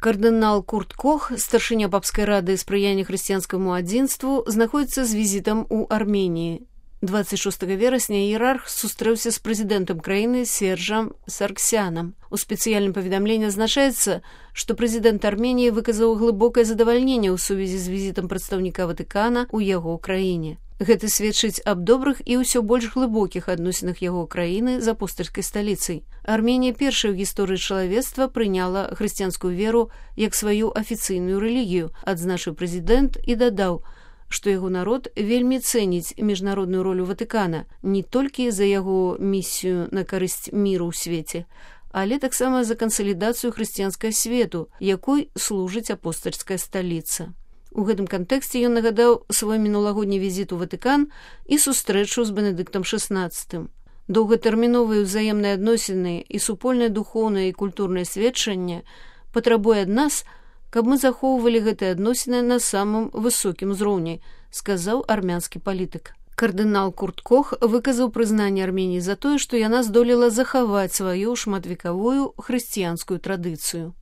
Кардынал Курт Кох, старшыня папскай рады спрыяння хрысціянскаму адзінству, знаходзіцца з візітам у Арменіі. 26 верасня іерарх сустрэўся з прэзідэнтам краіны Сержам Сарксянам. У спецыяльным паведамленні азначаецца, што прэзідэнт Арменіі выказаў глыбокае задавальненне ў сувязі з візітам прадстаўніка Ватыкана ў яго краіне. Гэта сведчыць аб добрых і ўсё больш глыбокіх адносінах яго краіны з апостальскай сталіцай. Арменія першая ў гісторыі чалавецтва прыняла хрысціянскую веру як сваю афіцыйную рэлігію, адзначыў прэзідэнт і дадаў, што яго народ вельмі цэніць міжнародную ролю Ватыкана не толькі за яго місію на карысць міру ў свеце, але таксама за кансалідацыю хрысціянскага свету, якой служыць апостальская сталіца. У гэтым кантэксце ён нагадаў свой мінулагодні візіт у Ватыкан і сустрэчу з Бенедыктам XVI. Доўгатэрміновыя ўзаемныя адносіны і супольнае духоўнае і культурнае сведчанне патрабуе ад нас, каб мы захоўвалі гэтыя адносіны на самым высокім узроўні, сказаў армянскі палітык. Кардынал Курт Кох выказаў прызнанне Арменіі за тое, што яна здолела захаваць сваю шматвекавую хрысціянскую традыцыю.